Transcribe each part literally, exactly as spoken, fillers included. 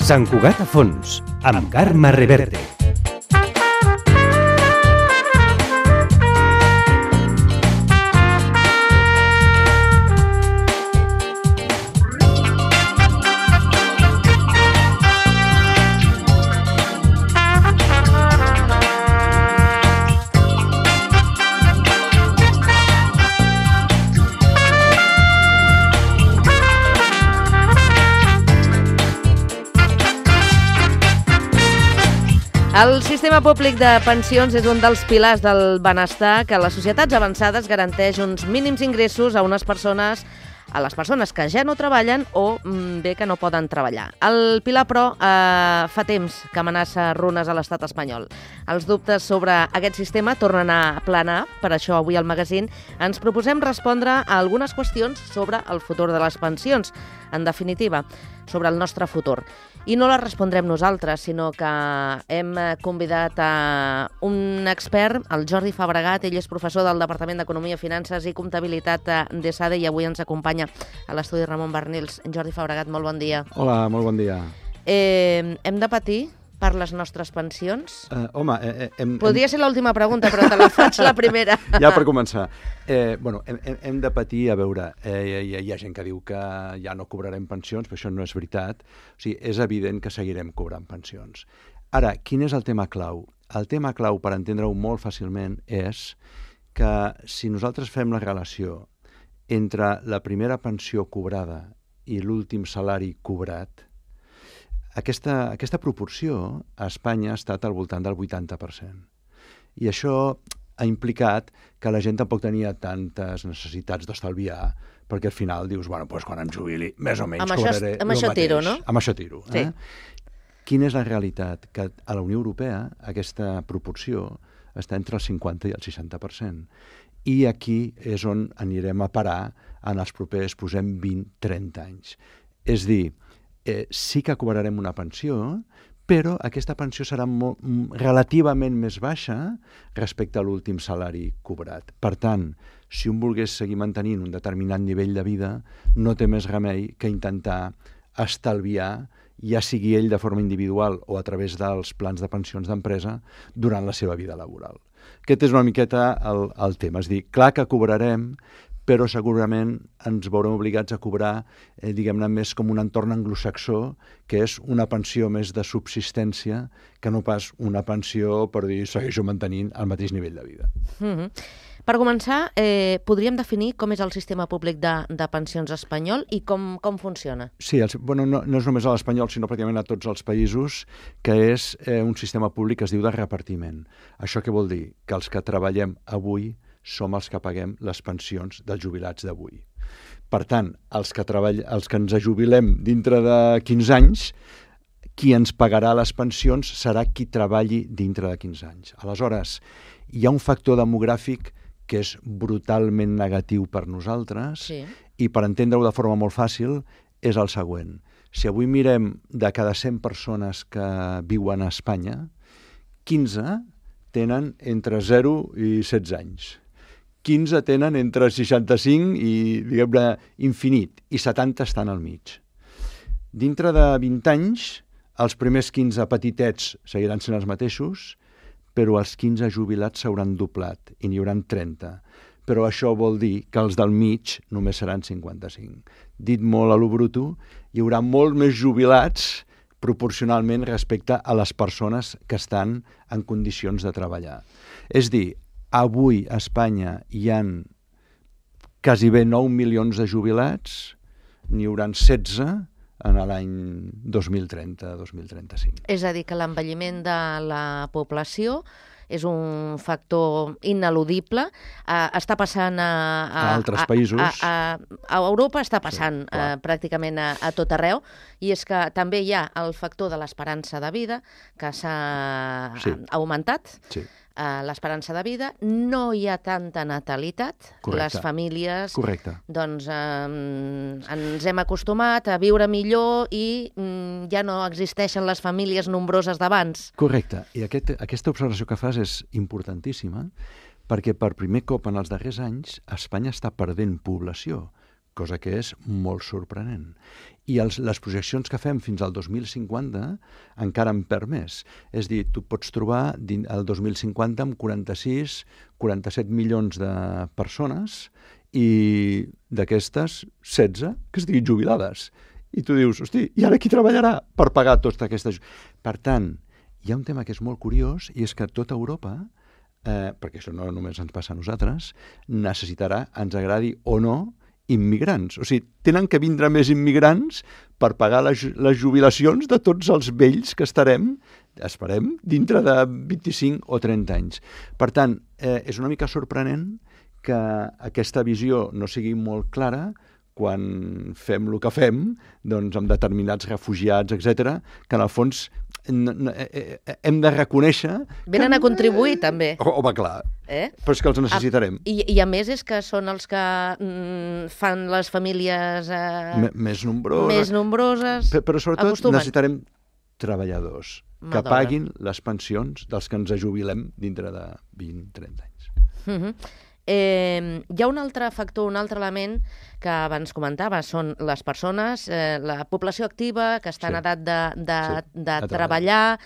Sant Cugat a fons, amb Carme Reverte. El sistema públic de pensions és un dels pilars del benestar que a les societats avançades garanteix uns mínims ingressos a unes persones, a les persones que ja no treballen o bé que no poden treballar. El pilar, però, eh, fa temps que amenaça runes a l'estat espanyol. Els dubtes sobre aquest sistema tornen a planar, per això avui al magazín ens proposem respondre a algunes qüestions sobre el futur de les pensions, en definitiva, sobre el nostre futur. I no la respondrem nosaltres, sinó que hem convidat a un expert, el Jordi Fabregat. Ell és professor del Departament d'Economia, Finances i Comptabilitat d'ESADE i avui ens acompanya a l'estudi Ramon Barnils. Jordi Fabregat, molt bon dia. Hola, molt bon dia. Eh, hem de patir per les nostres pensions? Uh, home, eh, hem... Podria ser l'última pregunta, però te la faig la primera. Ja per començar. Eh, bueno, hem, hem de patir, a veure, eh, hi, hi ha gent que diu que ja no cobrarem pensions, però això no és veritat. O sigui, és evident que seguirem cobrant pensions. Ara, quin és el tema clau? El tema clau, per entendre-ho molt fàcilment, és que si nosaltres fem la relació entre la primera pensió cobrada i l'últim salari cobrat, Aquesta, aquesta proporció a Espanya ha estat al voltant del vuitanta per cent. I això ha implicat que la gent tampoc tenia tantes necessitats d'estalviar, perquè al final dius, bueno, doncs quan em jubili, més o menys amb cobraré això, amb el això mateix. Tiro, no? Amb això tiro. Sí. Eh? Quina és la realitat? Que a la Unió Europea aquesta proporció està entre el cinquanta i el seixanta per cent. I aquí és on anirem a parar en els propers, posem, vint a trenta anys. És dir, Eh, sí que cobrarem una pensió, però aquesta pensió serà molt, relativament més baixa respecte a l'últim salari cobrat. Per tant, si un volgués seguir mantenint un determinat nivell de vida, no té més remei que intentar estalviar, ja sigui ell de forma individual o a través dels plans de pensions d'empresa, durant la seva vida laboral. Aquest és una miqueta el, el tema. És dir, clar que cobrarem, però segurament ens veurem obligats a cobrar, eh, diguem-ne, més com un entorn anglosaxó, que és una pensió més de subsistència que no pas una pensió per dir segueixo mantenint el mateix nivell de vida. Mm-hmm. Per començar, eh, podríem definir com és el sistema públic de, de pensions espanyol i com, com funciona? Sí, el, bueno, no, no és només a l'espanyol, sinó pràcticament a tots els països, que és eh, un sistema públic que es diu de repartiment. Això què vol dir? Que els que treballem avui som els que paguem les pensions dels jubilats d'avui. Per tant, els que, treball... els que ens jubilem dintre de quinze anys, qui ens pagarà les pensions serà qui treballi dintre de quinze anys. Aleshores, hi ha un factor demogràfic que és brutalment negatiu per nosaltres, sí. I per entendre-ho de forma molt fàcil és el següent. Si avui mirem de cada cent persones que viuen a Espanya, quinze tenen entre zero i setze anys. quinze tenen entre seixanta-cinc i, diguem-ne, infinit, i setanta estan al mig. Dintre de vint anys, els primers quinze petitets seguiran sent els mateixos, però els quinze jubilats s'hauran doblat i n'hi hauran trenta. Però això vol dir que els del mig només seran cinquanta-cinc. Dit molt a lo bruto, hi haurà molt més jubilats proporcionalment respecte a les persones que estan en condicions de treballar. És dir, avui a Espanya hi ha quasi bé nou milions de jubilats, n'hi hauran setze en l'any dos mil trenta dos mil trenta-cinc. És a dir, que l'envelliment de la població és un factor ineludible. Uh, està passant a, a, a altres països. A, a, a, a Europa està passant sí, uh, pràcticament a, a tot arreu, i és que també hi ha el factor de l'esperança de vida que s'ha sí. augmentat. Sí. uh, l'esperança de vida, no hi ha tanta natalitat. Correcte. Les famílies, Correcte. doncs, eh, ens hem acostumat a viure millor i mm, ja no existeixen les famílies nombroses d'abans. Correcte. I aquest, aquesta observació que fas és importantíssima, perquè per primer cop en els darrers anys Espanya està perdent població, cosa que és molt sorprenent. I els, les projeccions que fem fins al dos mil cinquanta encara en perd més. És a dir, tu pots trobar el dos mil cinquanta amb quaranta-sis quaranta-set milions de persones i d'aquestes setze que estiguin jubilades. I tu dius, hosti, i ara qui treballarà per pagar totes aquestes... Per tant, hi ha un tema que és molt curiós i és que tota Europa, eh, perquè això no només ens passa a nosaltres, necessitarà, ens agradi o no, immigrants. O sigui, tenen que vindre més immigrants per pagar les, les jubilacions de tots els vells que estarem, esperem, dintre de vint-i-cinc o trenta anys. Per tant, eh, és una mica sorprenent que aquesta visió no sigui molt clara quan fem el que fem, doncs amb determinats refugiats, etcètera, que en el fons hem de reconèixer... Venen que... a contribuir, també. Home, clar, eh? però és que els necessitarem. I, I a més és que són els que mm, fan les famílies eh, més nombroses, més nombroses però, però sobretot acostumen. Necessitarem treballadors que Madona. paguin les pensions dels que ens jubilem dintre de vint a trenta anys. Uh -huh. Eh, hi ha un altre factor, un altre element que abans comentava, són les persones, eh, la població activa, que està en Sí. edat de, de, Sí, de a treballar,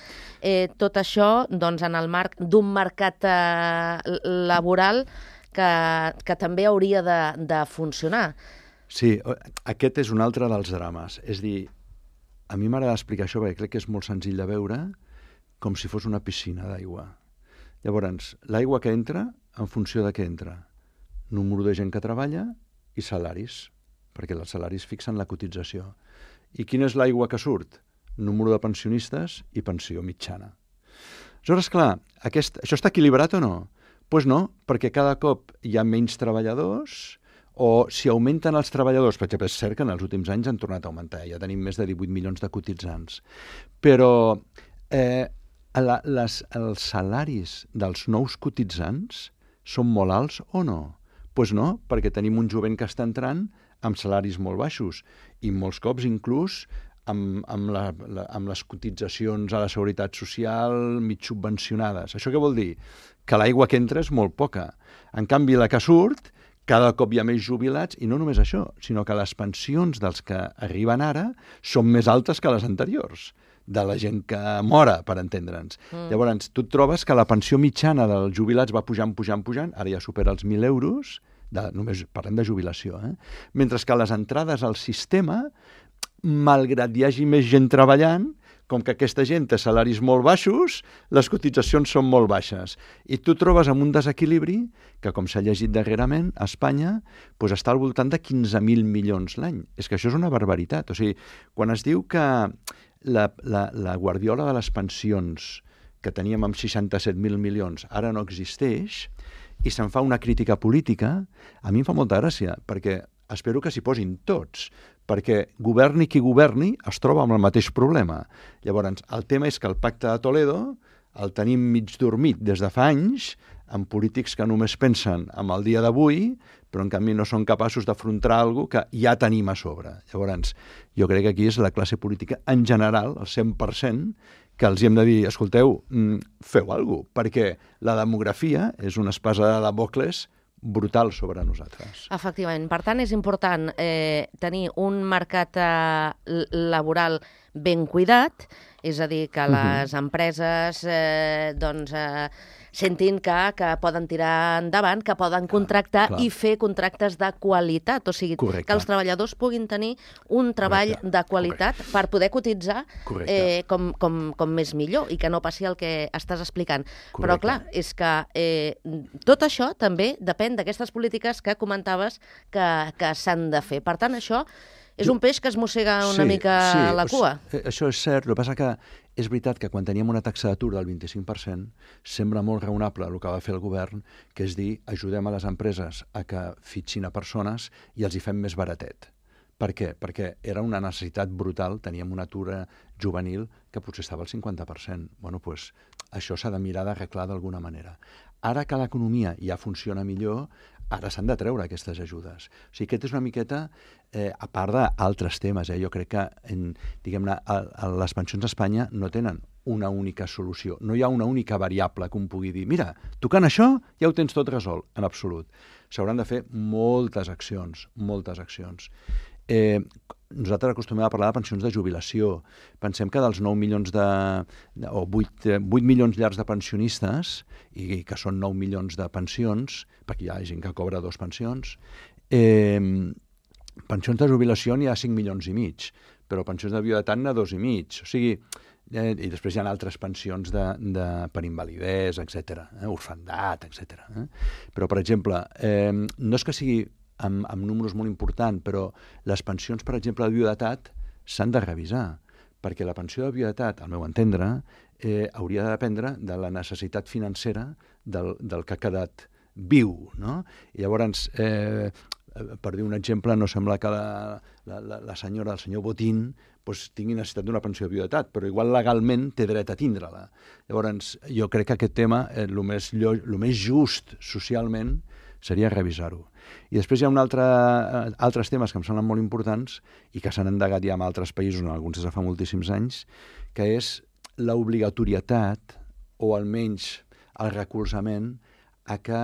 eh, tot això doncs, en el marc d'un mercat eh, laboral que, que també hauria de, de funcionar. Sí, aquest és un altre dels drames. És dir, a mi m'agrada explicar això perquè crec que és molt senzill de veure, com si fos una piscina d'aigua. Llavors, l'aigua que entra, en funció de què entra? Número de gent que treballa i salaris, perquè els salaris fixen la cotització. I quina és l'aigua que surt? Número de pensionistes i pensió mitjana. Aleshores, clar, aquest, això està equilibrat o no? Doncs pues no, perquè cada cop hi ha menys treballadors, o si augmenten els treballadors, per exemple, és cert que en els últims anys han tornat a augmentar, ja tenim més de divuit milions de cotitzants, però eh, la, les, els salaris dels nous cotitzants són molt alts o no? Doncs pues no, perquè tenim un jovent que està entrant amb salaris molt baixos i molts cops inclús amb, amb, la, la, amb les cotitzacions a la seguretat social mig subvencionades. Això què vol dir? Que l'aigua que entra és molt poca. En canvi, la que surt, cada cop hi ha més jubilats, i no només això, sinó que les pensions dels que arriben ara són més altes que les anteriors, de la gent que mora, per entendre'ns. Mm. Llavors, tu et trobes que la pensió mitjana dels jubilats va pujant, pujant, pujant, ara ja supera els mil euros, de, només parlem de jubilació, eh? Mentre que les entrades al sistema, malgrat hi hagi més gent treballant, com que aquesta gent té salaris molt baixos, les cotitzacions són molt baixes. I tu trobes amb un desequilibri que, com s'ha llegit darrerament, a Espanya doncs està al voltant de quinze mil milions l'any. És que això és una barbaritat. O sigui, quan es diu que la, la, la guardiola de les pensions que teníem amb seixanta-set mil milions ara no existeix i se'n fa una crítica política, a mi em fa molta gràcia, perquè espero que s'hi posin tots, perquè governi qui governi es troba amb el mateix problema. Llavors, el tema és que el pacte de Toledo el tenim mig dormit des de fa anys, amb polítics que només pensen en el dia d'avui, però en canvi no són capaços d'afrontar alguna cosa que ja tenim a sobre. Llavors, jo crec que aquí és la classe política en general, el cent per cent, que els hem de dir, escolteu, feu alguna cosa, perquè la demografia és una espasa de Damocles brutal sobre nosaltres. Efectivament. Per tant, és important eh, tenir un mercat eh, laboral ben cuidat, és a dir, que les uh-huh. empreses eh, doncs, eh, sentin que, que poden tirar endavant, que poden clar, contractar clar. I fer contractes de qualitat, o sigui, correcte. Que els treballadors puguin tenir un treball correcte. De qualitat correcte. Per poder cotitzar eh, com, com, com més millor i que no passi el que estàs explicant. Correcte. Però clar, és que eh, tot això també depèn d'aquestes polítiques que comentaves que, que s'han de fer. Per tant, això és un peix que es mossega una sí, mica sí, la cua. Això és cert, el que passa que és veritat que quan teníem una taxa d'atur del vint-i-cinc per cent sembla molt raonable el que va fer el govern, que és dir, ajudem a les empreses a que fitxin a persones i els hi fem més baratet. Per què? Perquè era una necessitat brutal, teníem un atur juvenil que potser estava al cinquanta per cent. Bueno, doncs això s'ha de mirar d'arreglar d'alguna manera. Ara que l'economia ja funciona millor, ara s'han de treure aquestes ajudes. O sigui, aquest és una miqueta, eh, a part d'altres temes, eh, jo crec que en, diguem-ne, a, a les pensions a Espanya no tenen una única solució. No hi ha una única variable que un pugui dir, mira, tocant això ja ho tens tot resolt, en absolut. S'hauran de fer moltes accions, moltes accions. Eh, nosaltres acostumem a parlar de pensions de jubilació. Pensem que dels nou milions de, de o vuit, vuit milions llargs de pensionistes, i que són nou milions de pensions, perquè hi ha gent que cobra dos pensions, eh, pensions de jubilació n'hi ha cinc milions i mig, però pensions de viudetat n'hi ha dos i mig. O sigui, eh, i després hi ha altres pensions de, de, per invalidesa, etcètera, eh, orfandat, etcètera. Eh? Però, per exemple, eh, no és que sigui amb, amb números molt importants, però les pensions, per exemple, de viudetat s'han de revisar, perquè la pensió de viudetat, al meu entendre, eh, hauria de dependre de la necessitat financera del, del que ha quedat viu, no? I llavors, eh, per dir un exemple, no sembla que la, la, la senyora, el senyor Botín, pues, tingui necessitat d'una pensió de viudetat, però igual legalment té dret a tindre-la. Llavors, jo crec que aquest tema, eh, el més, el més just socialment, seria revisar-ho. I després hi ha un altre, eh, altres temes que em semblen molt importants i que s'han endegat ja en altres països, en alguns des de fa moltíssims anys, que és l'obligatorietat, o almenys el recolzament, a que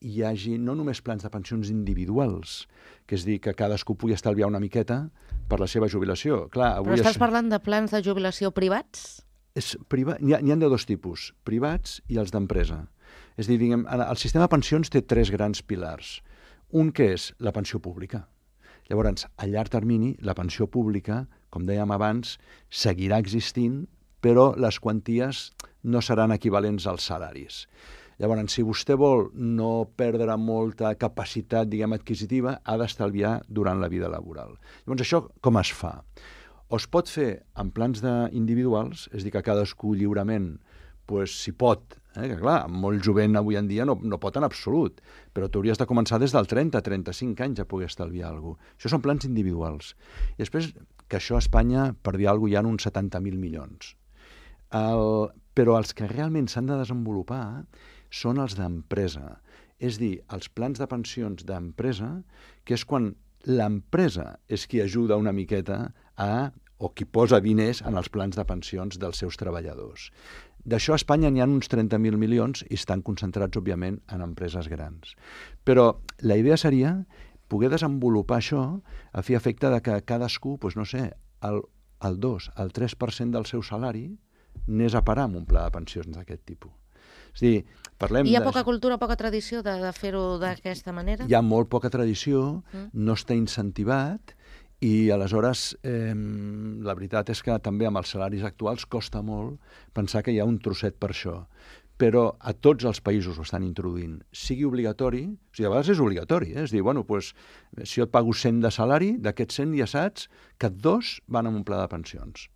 hi hagi no només plans de pensions individuals, que és dir, que cadascú pugui estalviar una miqueta per la seva jubilació. Clar, avui Però estàs és... parlant de plans de jubilació privats? És priva... N'hi ha, n'hi ha de dos tipus, privats i els d'empresa. És a dir, diguem, el sistema de pensions té tres grans pilars. Un que és la pensió pública. Llavors, a llarg termini, la pensió pública, com dèiem abans, seguirà existint, però les quanties no seran equivalents als salaris. Llavors, si vostè vol no perdre molta capacitat, diguem, adquisitiva, ha d'estalviar durant la vida laboral. Llavors, això com es fa? O es pot fer en plans individuals, és a dir, que cadascú lliurement, pues, si pot, eh, que clar, molt jovent avui en dia no, no pot en absolut, però tu hauries de començar des del trenta a trenta-cinc anys a poder estalviar alguna cosa. Això són plans individuals. I després, que això a Espanya, per dir alguna cosa, hi ha uns setanta mil milions. El, però els que realment s'han de desenvolupar són els d'empresa. És dir, els plans de pensions d'empresa, que és quan l'empresa és qui ajuda una miqueta a, o qui posa diners en els plans de pensions dels seus treballadors. D'això a Espanya n'hi ha uns trenta mil milions i estan concentrats, òbviament, en empreses grans. Però la idea seria poder desenvolupar això a fi efecte de que cadascú, doncs no sé, el, el dos, el tres per cent del seu salari anés a parar amb un pla de pensions d'aquest tipus. És a dir, parlem... Hi ha de... poca cultura, poca tradició de, de fer-ho d'aquesta manera? Hi ha molt poca tradició, mm. no està incentivat, i aleshores eh, la veritat és que també amb els salaris actuals costa molt pensar que hi ha un trosset per això. Però a tots els països ho estan introduint. Sigui obligatori, o sigui, a vegades és obligatori, eh? És dir, bueno, doncs, si jo et pago cent de salari, d'aquests cent ja saps que dos van amb un pla de pensions.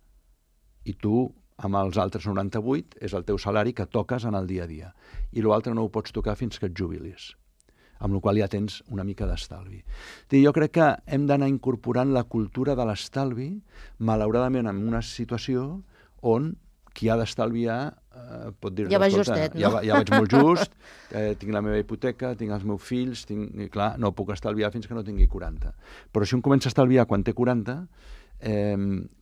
I tu, amb els altres noranta-vuit, és el teu salari que toques en el dia a dia. I l'altre no ho pots tocar fins que et jubilis, amb la qual ja tens una mica d'estalvi. Jo crec que hem d'anar incorporant la cultura de l'estalvi, malauradament en una situació on qui ha d'estalviar eh, pot dir... Ja va justet, no? Ja, ja vaig molt just, eh, tinc la meva hipoteca, tinc els meus fills, tinc, i clar, no puc estalviar fins que no tingui quaranta. Però si un comença a estalviar quan té quaranta, eh,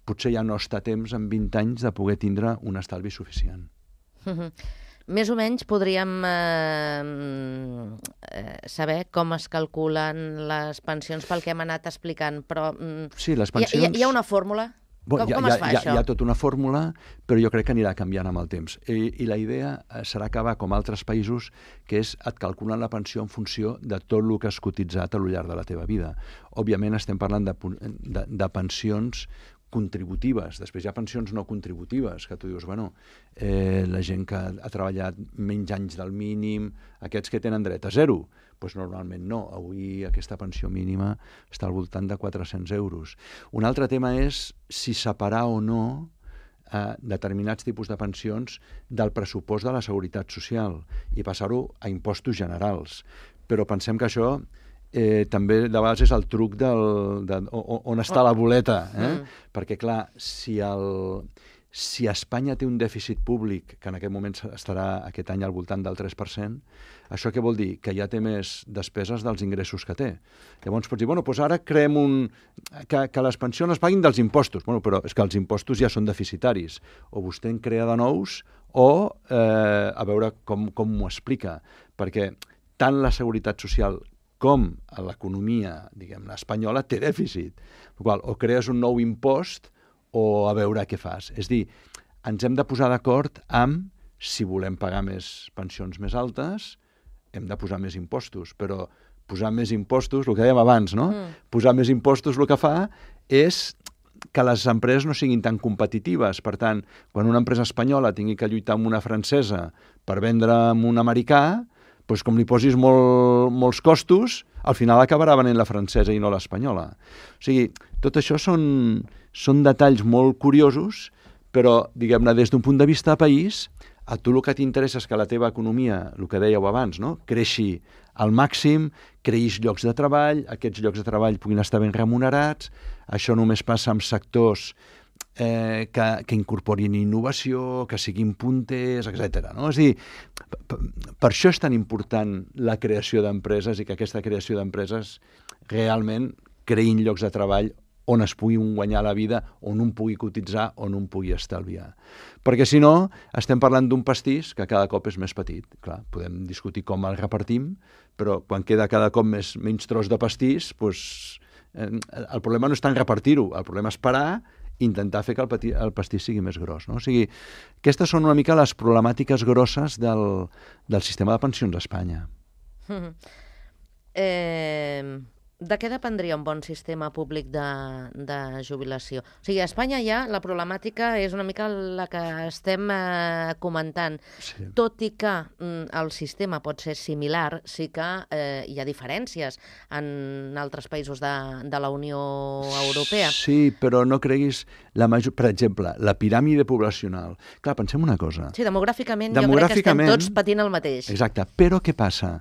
potser ja no està a temps, en vint anys, de poder tindre un estalvi suficient. Mm-hmm. Més o menys podríem eh, eh, saber com es calculen les pensions pel que hem anat explicant, però mm, sí, les pensions... hi, ha, hi ha una fórmula? Bon, com hi ha, com es fa hi ha, això? Hi ha tota una fórmula, però jo crec que anirà canviant amb el temps. I, i la idea serà acabar com altres països, que és et calculen la pensió en funció de tot el que has cotitzat a lo llarg de la teva vida. Òbviament estem parlant de, de, de pensions contributives. Després hi ha pensions no contributives, que tu dius, bueno, eh, la gent que ha treballat menys anys del mínim, aquests que tenen dret a zero, doncs normalment no. Avui aquesta pensió mínima està al voltant de quatre-cents euros. Un altre tema és si separar o no eh, determinats tipus de pensions del pressupost de la Seguretat Social i passar-ho a impostos generals. Però pensem que això eh, també de vegades és el truc del, de, on, on està la boleta. Eh? Mm. Perquè, clar, si, el, si Espanya té un dèficit públic, que en aquest moment estarà aquest any al voltant del tres per cent, això què vol dir? Que ja té més despeses dels ingressos que té. Llavors pots dir, bueno, doncs ara creem un... que, que les pensions es paguin dels impostos. Bueno, però és que els impostos ja són deficitaris. O vostè en crea de nous o eh, a veure com, com m'ho explica. Perquè tant la seguretat social com l'economia, diguem-ne, espanyola, té dèficit. Qual, o crees un nou impost o a veure què fas. És dir, ens hem de posar d'acord amb si volem pagar més pensions més altes, hem de posar més impostos, però posar més impostos, el que dèiem abans, no? Mm. Posar més impostos el que fa és que les empreses no siguin tan competitives. Per tant, quan una empresa espanyola tingui que lluitar amb una francesa per vendre amb un americà, doncs com li posis molt, molts costos, al final acabarà venent la francesa i no l'espanyola. O sigui, tot això són, són detalls molt curiosos, però, diguem-ne, des d'un punt de vista de país, a tu el que t'interessa és que la teva economia, el que dèieu abans, no? Creixi al màxim, creïs llocs de treball, aquests llocs de treball puguin estar ben remunerats, això només passa amb sectors eh, que, que incorporin innovació, que siguin punters, etcètera. No? És a dir, per, per això és tan important la creació d'empreses i que aquesta creació d'empreses realment creïn llocs de treball on es pugui guanyar la vida, on un pugui cotitzar, on un pugui estalviar. Perquè si no, estem parlant d'un pastís que cada cop és més petit. Clar, podem discutir com el repartim, però quan queda cada cop més, menys tros de pastís, doncs, eh, el problema no és tant repartir-ho, el problema és parar i intentar fer que el, pati, el pastís sigui més gros. No? O sigui, aquestes són una mica les problemàtiques grosses del, del sistema de pensions a Espanya. Mm-hmm. Eh... De què dependria un bon sistema públic de, de jubilació? O sigui, a Espanya ja la problemàtica és una mica la que estem eh, comentant. Sí. Tot i que mm, el sistema pot ser similar, sí que eh, hi ha diferències en altres països de, de la Unió Europea. Sí, però no creguis... La major... Per exemple, la piràmide poblacional. Clar, pensem una cosa. Sí, demogràficament, demogràficament jo crec que estem tots patint el mateix. Exacte, però què passa?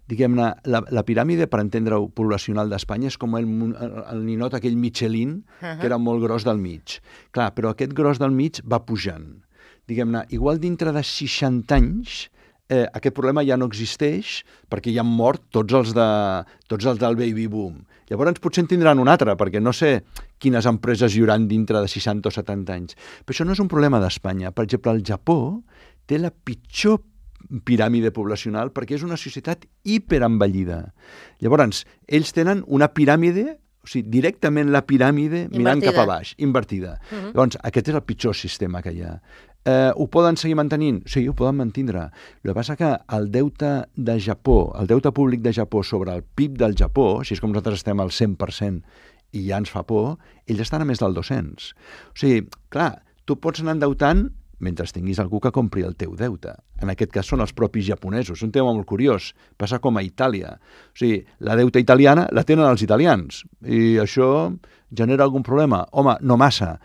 Diguem-ne, la, la piràmide, per entendre-ho, poblacional d'Espanya és com el, el, el ninot aquell Michelin, uh-huh. que era molt gros del mig. Clar, però aquest gros del mig va pujant. Diguem-ne, igual dintre de seixanta anys, eh, aquest problema ja no existeix perquè ja han mort tots els, de, tots els del baby boom. Llavors potser en tindran un altre, perquè no sé quines empreses hi hauran dintre de seixanta o setanta anys. Però això no és un problema d'Espanya. Per exemple, el Japó té la pitjor piràmide poblacional perquè és una societat hiperenvellida. Llavors, ells tenen una piràmide, o sigui, directament la piràmide invertida. Mirant cap a baix, invertida. Uh-huh. Llavors, aquest és el pitjor sistema que hi ha. Eh, ho poden seguir mantenint? Sí, ho poden mantindre. El que passa que el deute de Japó, el deute públic de Japó sobre el P I B del Japó, així és com nosaltres estem al cent per cent i ja ens fa por, ells estan a més del dos-cents. O sigui, clar, tu pots anar endeutant mentre tinguis algú que compri el teu deute. En aquest cas són els propis japonesos. Un tema molt curiós. Passa com a Itàlia. O sigui, la deuta italiana la tenen els italians i això genera algun problema. Home, no massa.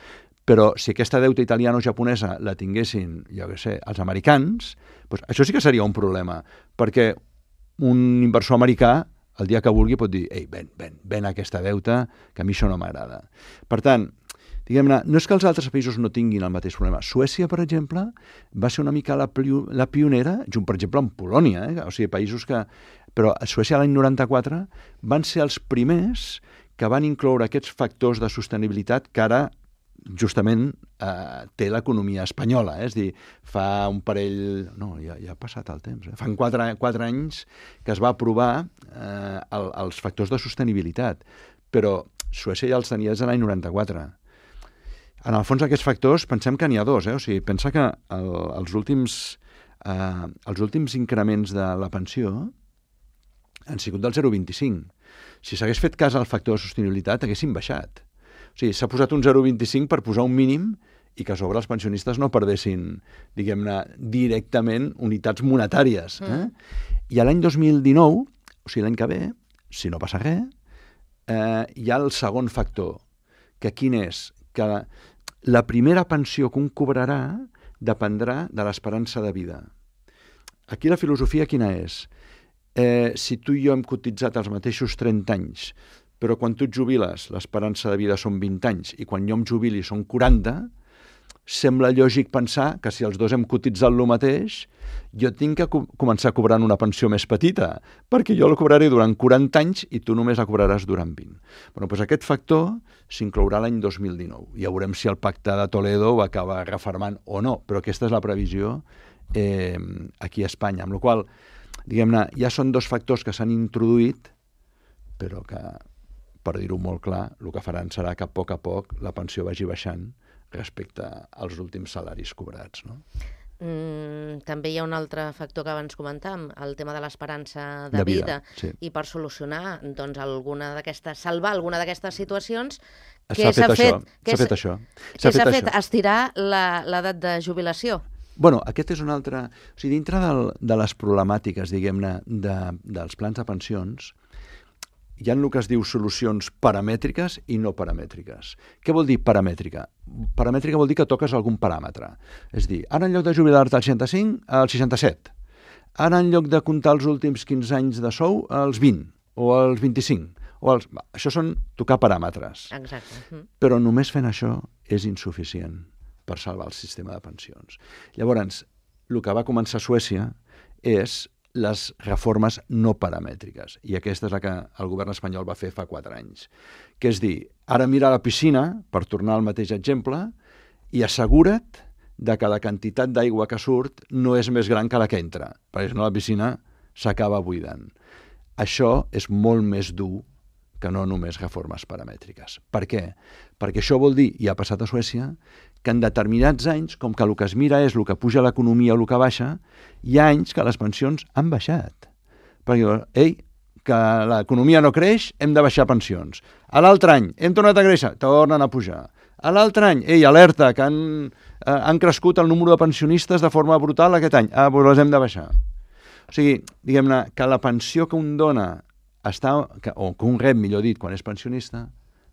Però si aquesta deuta italiana o japonesa la tinguessin, jo què sé, els americans, doncs això sí que seria un problema, perquè un inversor americà, el dia que vulgui, pot dir «Ei, ven, ven, ven aquesta deuta, que a mi això no m'agrada». Per tant, diguem-ne, no és que els altres països no tinguin el mateix problema. Suècia, per exemple, va ser una mica la, la pionera, junt, per exemple, amb Polònia, eh? O sigui, països que... Però a Suècia l'any noranta-quatre van ser els primers que van incloure aquests factors de sostenibilitat que ara justament eh, té l'economia espanyola. Eh? És dir, fa un parell... No, ja, ja ha passat el temps. Eh? Fan quatre, quatre anys que es va aprovar eh, el, els factors de sostenibilitat, però Suècia ja els tenia des de l'any noranta-quatre. En el fons, aquests factors, pensem que n'hi ha dos. Eh? O sigui, pensa que el, els, últims, eh, els últims increments de la pensió han sigut del zero coma vint-i-cinc. Si s'hagués fet cas al factor de sostenibilitat, haguessin baixat. O sigui, s'ha posat un zero coma vint-i-cinc per posar un mínim i que a sobre els pensionistes no perdessin, diguem-ne, directament unitats monetàries. Eh? Mm. I a l'any dos mil dinou, o sigui, l'any que ve, si no passa res, eh, hi ha el segon factor, que quin és? Que la primera pensió que un cobrarà dependrà de l'esperança de vida. Aquí la filosofia quina és? eh, si tu i jo hem cotitzat els mateixos trenta anys, però quan tu et jubiles l'esperança de vida són vint anys i quan jo em jubili són quaranta, sembla lògic pensar que si els dos hem cotitzat el mateix, jo tinc que co començar cobrant una pensió més petita, perquè jo la cobraré durant quaranta anys i tu només la cobraràs durant vint. Bueno, doncs aquest factor s'inclourà l'any dos mil dinou. Ja veurem si el pacte de Toledo ho acaba refermant o no, però aquesta és la previsió eh, aquí a Espanya. Amb la qual cosa, diguem-ne, ja són dos factors que s'han introduït, però que, per dir-ho molt clar, el que faran serà que a poc a poc la pensió vagi baixant respecte als últims salaris cobrats, no? Mm, també hi ha un altre factor que abans comentàvem, el tema de l'esperança de, De vida, vida, sí. I per solucionar, doncs, alguna d'aquestes, salvar alguna d'aquestes situacions, S'ha què s'ha fet fet? això, Què s'ha fet això. Què s'ha fet? Estirar la- l'edat de jubilació? Bueno, aquest és un altre... O sigui, dintre del, de les problemàtiques, diguem-ne, de, dels plans de pensions, hi ha el que es diu solucions paramètriques i no paramètriques. Què vol dir paramètrica? Paramètrica vol dir que toques algun paràmetre. És dir, ara en lloc de jubilar-te al seixanta-cinc, al seixanta-set. Ara en lloc de comptar els últims quinze anys de sou, als vint, o als vint-i-cinc. O als... Això són tocar paràmetres. Exacte. Mm. Però només fent això és insuficient per salvar el sistema de pensions. Llavors, el que va començar a Suècia és les reformes no paramètriques. I aquesta és la que el govern espanyol va fer fa quatre anys. Que és dir, ara mira la piscina, per tornar al mateix exemple, i assegura't de que la quantitat d'aigua que surt no és més gran que la que entra, perquè si no la piscina s'acaba buidant. Això és molt més dur que no només reformes paramètriques. Per què? Perquè això vol dir, i ha passat a Suècia, que en determinats anys, com que el que es mira és el que puja l'economia o el que baixa, hi ha anys que les pensions han baixat. Perquè, ei, que l'economia no creix, hem de baixar pensions. A l'altre any, hem tornat a créixer, tornen a pujar. A l'altre any, ei, alerta, que han, eh, han crescut el número de pensionistes de forma brutal aquest any. Ah, doncs les hem de baixar. O sigui, diguem-ne, que la pensió que un dona està, que, o que un rep, millor dit, quan és pensionista,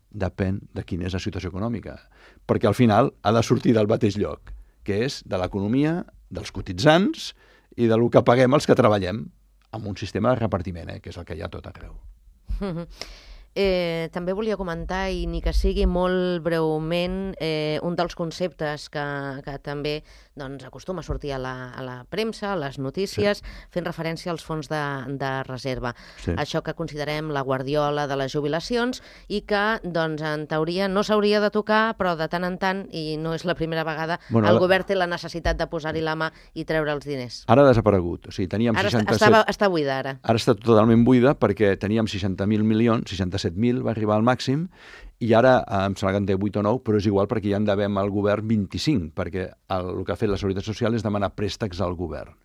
depèn de quina és la situació econòmica, perquè al final ha de sortir del mateix lloc, que és de l'economia, dels cotitzants i del que paguem els que treballem amb un sistema de repartiment, eh, que és el que hi ha tot arreu. Eh, també volia comentar, i ni que sigui molt breument, eh, un dels conceptes que, que també doncs, acostuma a sortir a la, a la premsa, a les notícies, sí. Fent referència als fons de, de reserva. Sí. Això que considerem la guardiola de les jubilacions i que, doncs, en teoria no s'hauria de tocar, però de tant en tant, i no és la primera vegada, bueno, el ara... govern té la necessitat de posar-hi la mà i treure els diners. Ara ha desaparegut. O sigui, teníem ara seixanta-set... estava, està buida, ara. Ara està totalment buida perquè teníem seixanta mil milions, seixanta-set mil va arribar al màxim, i ara em sembla que en té vuit o nou, però és igual perquè ja en devem al govern vint-i-cinc, perquè el, el que ha fet la Seguretat Social és demanar préstecs al govern.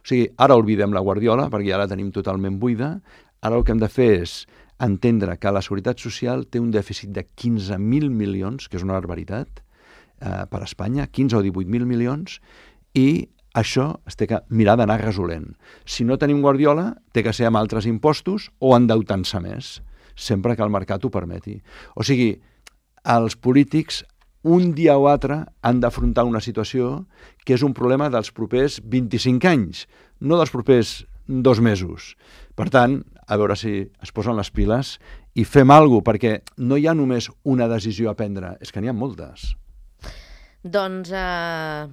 O sigui, ara oblidem la guardiola, perquè ja la tenim totalment buida. Ara el que hem de fer és entendre que la Seguretat Social té un dèficit de quinze mil milions, que és una barbaritat, eh, per Espanya, quinze o divuit mil milions, i això es té que mirar d'anar resolent. Si no tenim guardiola, té que ser amb altres impostos o endeutant-se més, sempre que el mercat ho permeti. O sigui, els polítics un dia o altre han d'afrontar una situació que és un problema dels propers vint-i-cinc anys, no dels propers dos mesos. Per tant, a veure si es posen les piles i fem alguna cosa, perquè no hi ha només una decisió a prendre, és que n'hi ha moltes. Doncs eh,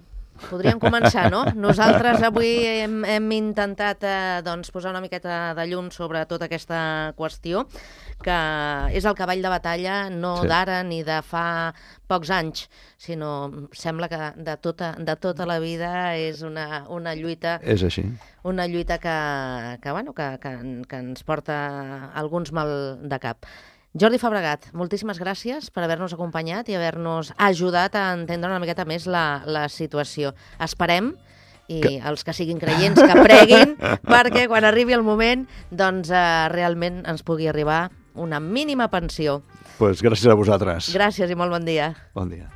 podríem començar, no? Nosaltres avui hem, hem intentat eh, doncs, posar una miqueta de llum sobre tota aquesta qüestió, que és el cavall de batalla no sí. d'ara ni de fa pocs anys, sinó sembla que de tota, de tota la vida és una, una lluita... És així. Una lluita que, que, bueno, que, que, que ens porta alguns mal de cap. Jordi Fabregat, moltíssimes gràcies per haver-nos acompanyat i haver-nos ajudat a entendre una miqueta més la, la situació. Esperem, i que... els que siguin creients que preguin, perquè quan arribi el moment doncs, eh, realment ens pugui arribar una mínima pensió. Pues gràcies a vosaltres. Gràcies i molt bon dia. Bon dia.